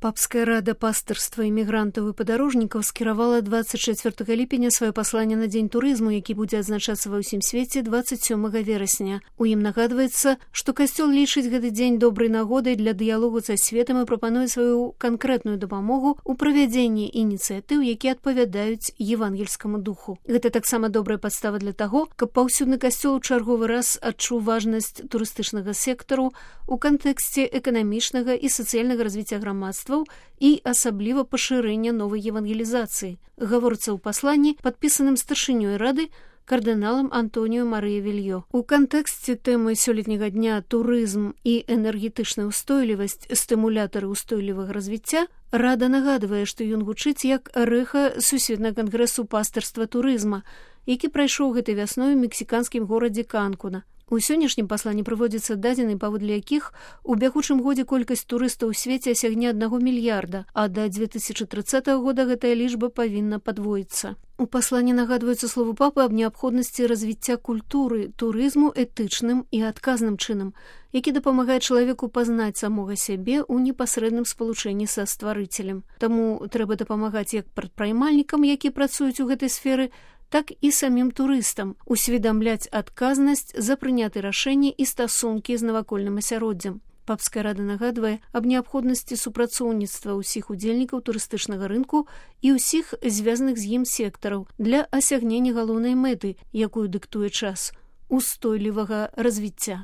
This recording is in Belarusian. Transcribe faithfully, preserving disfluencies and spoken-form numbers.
Папская рада пастырства імігрантаў і падарожнікаў скіравала двадцать чацвёртага ліпеня сваё пасланне на дзень турызму, які будзе адзначацца ва ўсім свеце двадцать сёмага верасня. У ім нагадваецца, што касцёл лічыць гэты дзень добрай нагодай для дыялогу са светам і прапануе сваю канкрэтную дапамогу ў правядзенні ініцыятыў, якія адпавядаюць евангельскаму духу. Гэта таксама добрая падстава для таго, каб паўсюдны касцёл у чарговы раз адчуў важнасць турыстычнага сектару у кантэксце эканамічнага і сацыяльнага развіцця грамадства і асабліва пашырэння новай евангелізацыі. Гаворыцца ў пасланні, падпісаным старшынёй рады кардыналам Антоніо Марыя Вільё. У кантэксце тэмы сёлетняга дня турызм і энергетычная ўстойлівасць, стымулятары ўстойлівага развіцця, рада нагадвае, што ён гучыць як рэха сусветнага кангрэсу пастырства турызма, які прайшоў гэтай вясной у мексіканскім горадзе Канкуна. У сённяшнім пасланні прыводзяцца дадзены, паводле якіх у бягучым годзе колькасць турыстаў у свеце асягне аднаго мільярда, а да дзве тысячы трыццатага года гэтая лічба павінна падвоіцца. У пасланні нагадваюцца словы папы аб неабходнасці развіцця культуры турызму этычным і адказным чынам, які дапамагае чалавеку пазнаць самога сябе ў непасрэдным спалучэнні са стварыцелем. Таму трэба дапамагаць як прадпрымальнікам, якія працуюць у гэтай сферы, так і самім турыстам, усведамляць адказнасць за прыняты рашэнні і стасункі з навакольным асяроддзям. Папская рада нагадвае аб неабходнасці супрацоўніцтва ўсіх удзельнікаў турыстычнага рынку і ўсіх звязаных з ім сектараў для асягнення галоўнай мэты, якую дыктуе час – устойлівага развіцця.